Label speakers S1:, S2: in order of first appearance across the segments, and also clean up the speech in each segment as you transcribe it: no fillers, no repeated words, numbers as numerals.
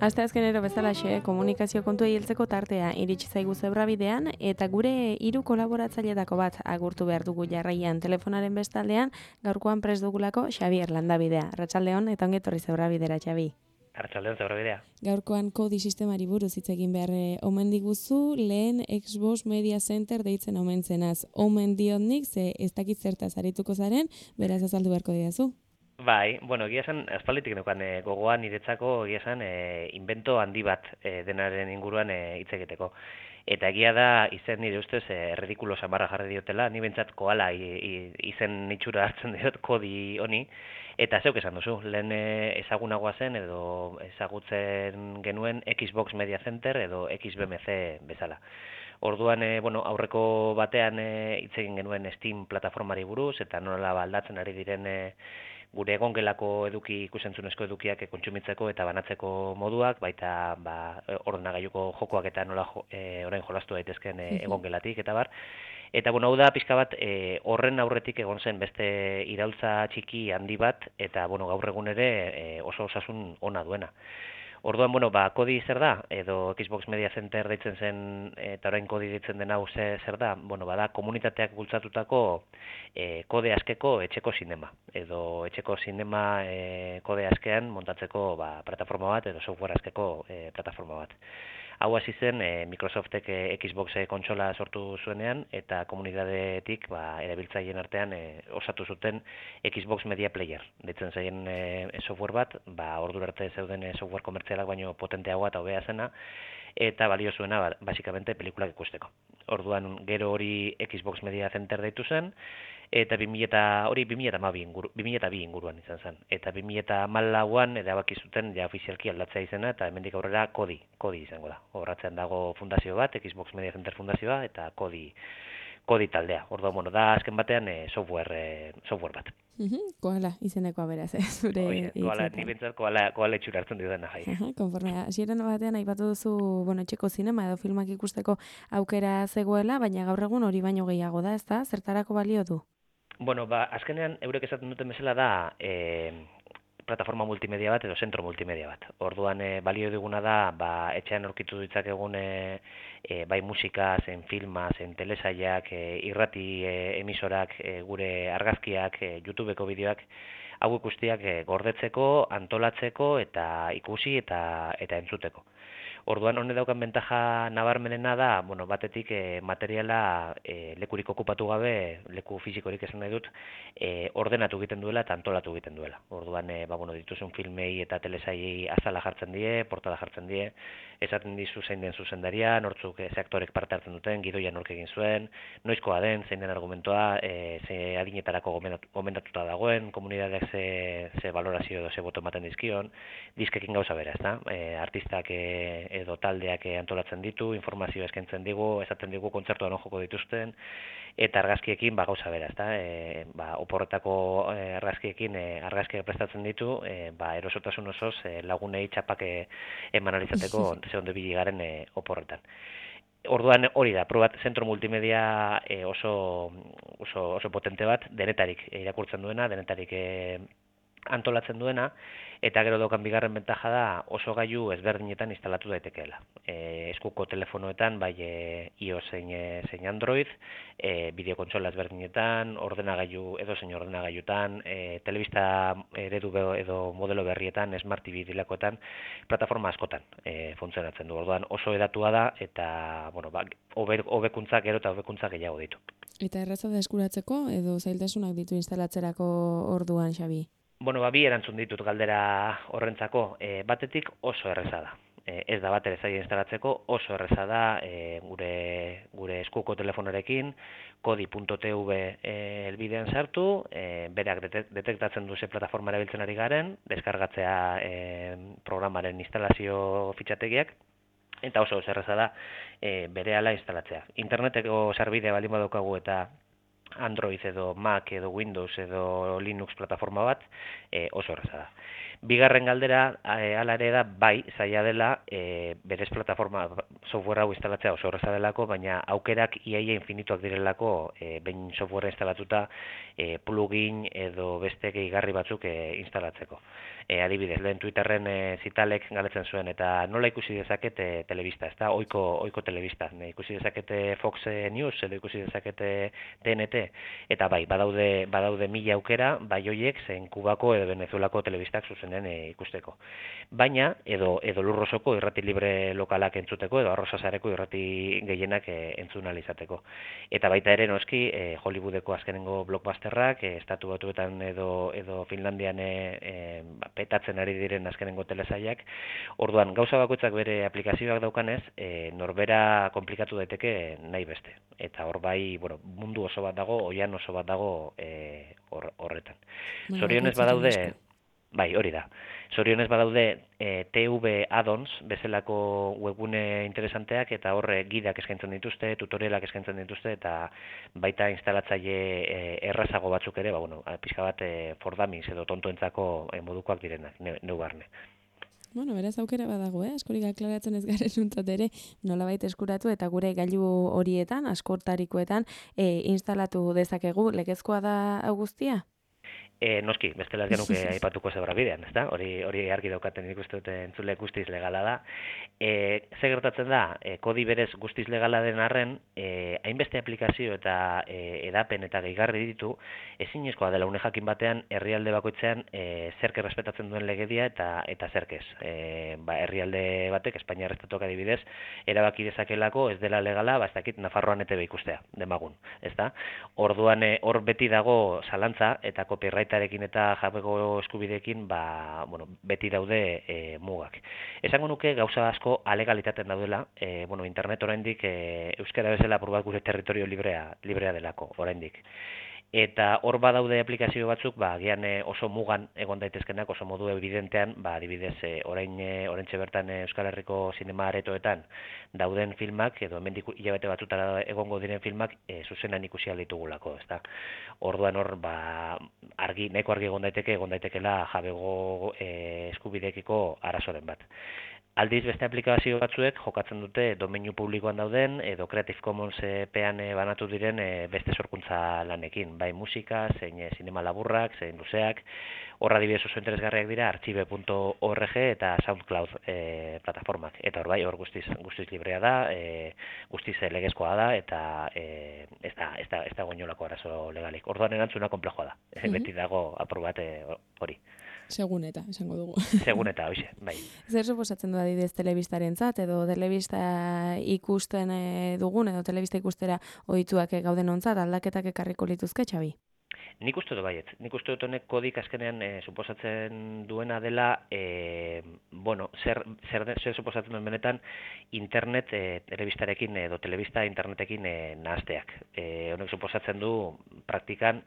S1: Asteazkenero bezalaxe, komunikazio kontuei heltzeko tartea iritsi zaigu Zebrabidean eta gure 3 kolaboratzaileetako bat agurtu behar dugu jarraian telefonaren bestaldean, gaurkoan prest dugulako Xabier Landabidea. Arratsaldeon eta ongi etorri Zebrabidera, Xabi.
S2: Arratsaldeon Zebrabidea.
S1: Gaurkoan kodi sistemari buruz hitz egin behar omen diguzu, lehen Xbox Media Center deitzen omen zenaz. Omen diot nik, ze ez dakit zertaz arituko zaren, beraz azaldu beharko didazu.
S2: Bai, bueno, egia esan, aspalditik neukan gogoan niretzako egia esan invento handi bat denaren inguruan hitz egiteko. Eta egia da, izen nire ustez, ridikulo samarra jarri diotela, ni bentsat koala izen itxura hartzen diot kodi honi, eta zeuk esan duzu, lehen ezagunagoa zen edo ezagutzen genuen Xbox Media Center edo XBMC bezala. Orduan, aurreko batean hitz egin genuen Steam plataformari buruz, eta nola aldatzen ari diren gure egongelako ikusentzunezko edukiak kontsumitzeko eta banatzeko moduak, baita ordenagailuko jokoak eta nola orain jolastu daitezken egongelatik eta bar. Eta hau da pixka bat horren aurretik egon zen beste iraultza txiki handi bat, eta gaur egun ere oso osasun ona duena. Orduan, kodi zer da, edo Xbox Media Center deitzen zen, eta orain kodi deitzen den hau zer da, bada komunitateak bultzatutako kode askeko etxeko sinema, edo etxeko sinema kode askean montatzeko plataforma bat, edo software askeko plataforma bat. Hau hasi zen Microsoftek Xbox kontsola sortu zuenean, eta komunitateetik erabiltzaileen artean osatu zuten Xbox Media Player. Deitzen zaien software bat, ordura arte zeuden software komertzialak baino potenteagoa eta hobea zena, eta balio zuena basikamente pelikulak ikusteko. Orduan gero hori Xbox Media Center deitu zen, eta 2002 inguruan izan zen. Eta 2014an erabaki zuten ja ofizialki aldatzea izena, eta hemendik aurrera kodi izango da. Horratzean dago fundazio bat, Xbox Media Center fundazioa, eta kodi taldea. Orduan, da azken batean software bat.
S1: Koala izenekoa beraz, zure
S2: hitzetan. Ni bentsat koala itxura hartzen dudana jai.
S1: Konforme, hasieran batean aipatu duzu, etxeko zinema edo filmak ikusteko aukera zegoela, baina gaur egun hori baino gehiago da, ezta? Zertarako balio du?
S2: Azkenean eurek esaten duten bezala da plataforma multimedia bat edo zentro multimedia bat. Orduan balio diguna da etxean aurkitu ditzakegun bai musika, zen filma, zen telesaiak, irrati emisorak, gure argazkiak, YouTubeko bideoak, hau guztiak gordetzeko, antolatzeko eta ikusi eta entzuteko. Orduan honek daukan bentaja nabarmenena da, batetik materiala lekurik okupatu gabe, leku fisikorik esan nahi dut, ordenatu egiten duela eta antolatu egiten duela. Orduan, dituzun filmei eta telesaiei azala jartzen die, portada jartzen die, esaten dizu zein den zuzendaria, nortzuk ze aktorek parte hartzen duten, gidoia nork egin zuen, noizkoa den, zein den argumentoa, ze adinetarako gomendatuta dagoen, komunitateak ze valorazio edo ze boto ematen dizkion, diskekin gauza bera, ezta? Artistak edo taldeak antolatzen ditu, informazioa eskaintzen digu, esaten digu kontzertuan joko dituzten, eta argazkiekin gauza bera, ezta? Oporretako argazkiekin argazkiak prestatzen ditu, erosotasun osoz lagunei txapak eman alizateko ze ondo ibili garen oporretan. Orduan hori da, probat zentro multimedia oso potente bat, denetarik irakurtzen duena, denetarik antolatzen duena, eta gero daukan bigarren bentaja da oso gailu ezberdinetan instalatu daitekeela. Eskuko telefonoetan, bai iOS zein Android, bideokontsola ezberdinetan, edozein ordenagailutan, telebista eredu edo modelo berrietan, Smart TV dilakoetan, plataforma askotan funtzionatzen du. Orduan oso edatua da, eta hobekuntzak gero eta hobekuntzak gehiago ditu.
S1: Eta erraza da eskuratzeko edo zailtasunak ditu instalatzerako orduan, Xabi?
S2: Bi erantzun ditut galdera horrentzako. Batetik oso erreza da. Ez da bat ere zaila instalatzeko, oso erreza da gure eskuko telefonorekin, kodi.tv helbidean sartu, berak detektatzen du ze plataforma erabiltzen ari garen, deskargatzea programaren instalazio fitxategiak, eta oso erreza da berehala instalatzea. Interneteko sarbidea baldin badaukagu eta Android edo Mac edo Windows edo Linux plataforma bat, oso erraza da. Bigarren galdera, hala ere da, bai, zaila dela, berez plataforma software hau instalatzea oso erraza delako, baina aukerak iaia infinituak direlako, behin software instalatuta, plugin edo beste gehigarri batzuk instalatzeko. Adibidez, lehen Twitterren zitalek galetzen zuen, eta nola ikusi dezaket telebista, ez da, oiko telebista. Ikusi dezakete Fox News, edo ikusi dezakete TNT, eta bai, badaude mila aukera, bai hoiek, zein Kubako edo Venezuelako telebistak zuzenen ikusteko. Baina, edo lurrosoko irrati libre lokalak entzuteko, edo arrosasareko irrati gehienak entzun ahal izateko. Eta baita ere, noski, Hollywoodeko azkenengo blockbusterrak, Estatu Batuetan edo Finlandian petatzen ari diren azkenengo telesailak. Orduan, gauza bakoitzak bere aplikazioak daukanez, norbera komplikatu daiteke nahi beste. Eta hor bai, bueno, mundu oso bat dago, oian oso bat dago horretan. Zorionez badaude, bai, hori da. Zorionez badaude TV add-ons bezalako webgune interesanteak, eta horre gidak eskaintzen dituzte, tutorialak eskaintzen dituzte, eta baita instalatzaile errazago batzuk ere, pixka bat for dummies edo tontoentzako modukoak direnak, neu barne.
S1: Bueno, beraz aukera badago, askorik aklaratzen ez garen nuntzat ere, nolabait eskuratu eta gure gailu horietan, askortarikoetan, instalatu dezakegu, legezkoa da hau guztia?
S2: Noski, bestela ez genuke aipatuko zebra bidean, ezta? Hori argi daukaten ikusten dute entzule guztiz legala da. Ze gertatzen da, kodi berez guztiz legala den arren, hainbeste aplikazio eta edapen eta gehigarri ditu, ezinezkoa dela une jakin batean herrialde bakoitzean zerk errespetatzen duen legedia eta zerk ez. Herrialde batek, Espainiar estatuak adibidez, erabaki dezakelako ez dela legala, ez dakit Nafarroan ETV ikustea, demagun, ezta? Orduan hor beti dago zalantza eta copyrightarekin eta jabego eskubideekin beti daude mugak. Esango nuke gauza asko alegalitaten daudela, internet oraindik euskara bezala apur bat gure territorio librea delako oraindik. Eta hor badaude aplikazio batzuk, agian oso mugan egon daitezkenak, oso modu evidentean, adibidez, oraintxe bertan Euskal Herriko zinema aretoetan dauden filmak, edo hemendik hilabete batzutara egongo diren filmak, zuzenan ikusi ahal ditugulako, ezta? Orduan hor, nahiko argi egon daitekeela jabego eskubideekiko arazoren bat. Aldiz beste aplikazio batzuek jokatzen dute domeinu publikoan dauden edo Creative Commons pean banatu diren beste sorkuntza lanekin, bai musika, zein sinema laburrak, zein luzeak. Horra adibidez oso interesgarriak dira archive.org eta SoundCloud plataformak. Eta hor guztiz librea da, guztiz legezkoa da eta ez da goinolako arazo legalik. Orduan erantzuna konplejoa da. Beti dago apur bat hori.
S1: Segun eta, esango dugu.
S2: Segun eta, hoxe, bai.
S1: Zer suposatzen du adibidez telebistarentzat edo telebista ikusten dugun edo telebista ikustera ohituak gauden ontzat aldaketak ekarriko lituzke, Xabi?
S2: Nik uste dut baiet. Nik uste dut honek kodik azkenean suposatzen duena dela, zer suposatzen duen benetan internet telebistarekin edo telebista internetekin nahazteak. Honek suposatzen du praktikan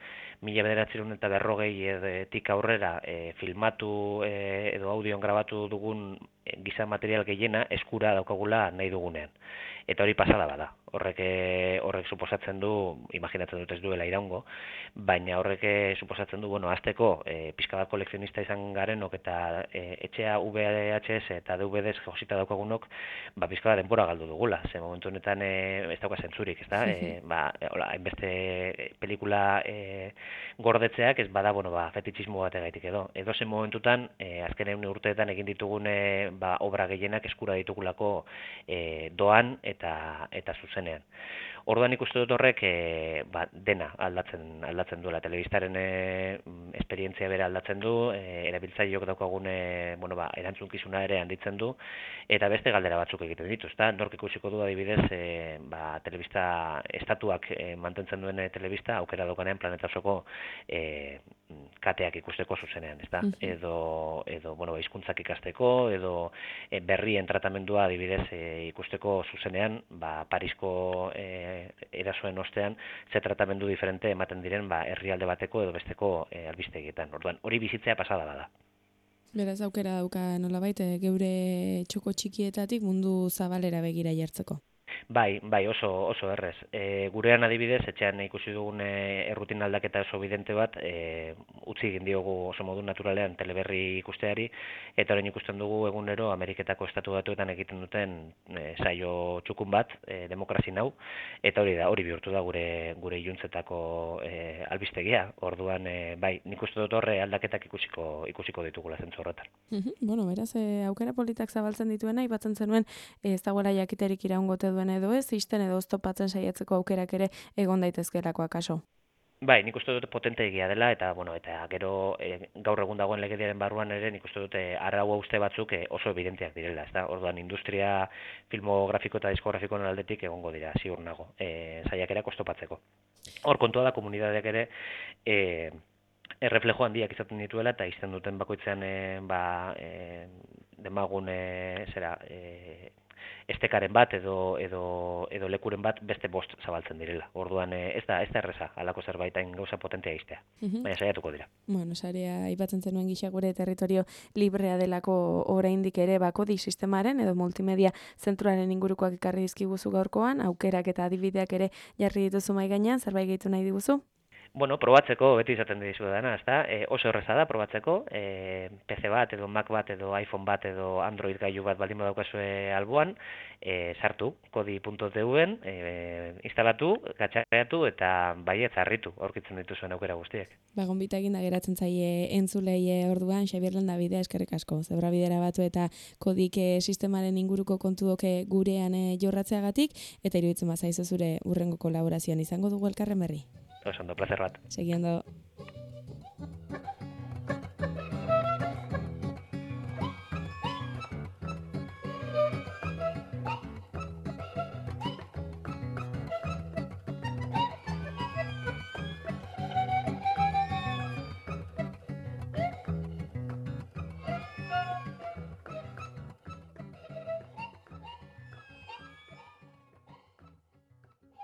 S2: 1940etik aurrera filmatu edo audioan grabatu dugun giza material gehiena eskura daukagula nahi dugunean. Eta hori pasada bada. Horrek suposatzen du, imaginatzen dut ez duela iraungo, baina horrek suposatzen du, hasteko pixka bat kolekzionista izan garenok eta etxea VHS eta DVDs josita daukagunok, pixka bat denbora galdu dugula. Ze momentu honetan ez dauka zentzurik, ez da? Hainbeste pelikula gordetzeak ez bada, fetitxismo bategaitik edo. Edo zen momentutan, azken urteetan egin ditugun obra gehienak eskura ditugulako doan eta zuzenean. Orduan ikuste dut horrek dena aldatzen duela. Telebistaren esperientzia bera aldatzen du, erabiltzaileok daukagun erantzunkizuna ere handitzen du, eta beste galdera batzuk egiten ditu. Nork ikusiko du adibidez, telebista estatuak mantentzen duen telebista, aukera daukanean planeta osoko kateak ikusteko zuzenean, ezta? Edo hizkuntzak ikasteko, edo berrien tratamendua adibidez ikusteko zuzenean, Parisko erasoen ostean, ze tratamendu diferente ematen diren herrialde bateko edo besteko albistegietan. Orduan, hori bizitzea pasada bada.
S1: Beraz aukera dauka nolabait geure txoko txikietatik mundu zabalera begira jartzeko.
S2: Bai, oso errez. Gurean adibidez, etxean ikusi dugun errutin aldaketa oso bidente bat, utzi egin diogu oso modu naturalean teleberri ikusteari, eta orain ikusten dugu egunero Ameriketako estatu batuetan egiten duten saio txukun bat, demokrazi nau, eta hori bihurtu da gure iluntzetako albistegia. Orduan, bai, nik uste dut horre aldaketak ikusiko ditugula zentzu horretan.
S1: Bueno, beraz, aukera politak zabaltzen dituena, aipatzen zenuen ez dagoela jakiterik iraungote duen edo ez, isten edo oztopatzen saiatzeko aukerak ere egon daitezkeelako akaso.
S2: Bai, nik uste dut potente egia dela, eta gero gaur egun dagoen legediaren barruan ere nik uste dut arau hauste batzuk oso evidenteak direla, ezta? Orduan industria filmografiko eta diskografikoen aldetik egongo dira, ziur nago, saiakerak oztopatzeko. Hor kontua da komunitateak ere erreflejo handiak izaten dituela eta izten duten bakoitzean demagun estekaren bat edo lekuren bat beste bost zabaltzen direla. Orduan ez da erreza halako zerbaitain gauza potentea iztea. Baina saiatuko dira.
S1: Bueno, sarea aipatzen zenuen gisa gure territorio librea delako oraindik ere kodi sistemaren edo multimedia zentroaren ingurukoak ekarri dizkiguzu gaurkoan, aukerak eta adibideak ere jarri dituzu mahai gainean, zerbait gehitu nahi diguzu?
S2: Bueno, probatzeko beti izaten dizu dana, ezta? Oso erreza da probatzeko, PC bat edo Mac bat edo iPhone bat edo Android gailu bat baldin badaukazue alboan, sartu kodi.tv-en, instalatu, gatxareatu eta baietz harritu aurkitzen dituzuen aukera guztiek.
S1: Gonbita eginda geratzen zaie entzulei orduan, Xabier Landabidea eskerrik asko. Zebrabidera batu eta kodik sistemaren inguruko kontuok gurean jorratzeagatik, eta iruditzen bazaizu zure urrengo kolaborazioan izango dugu elkarren berri.
S2: Oso ondo, placer bat.
S1: Segi ondo.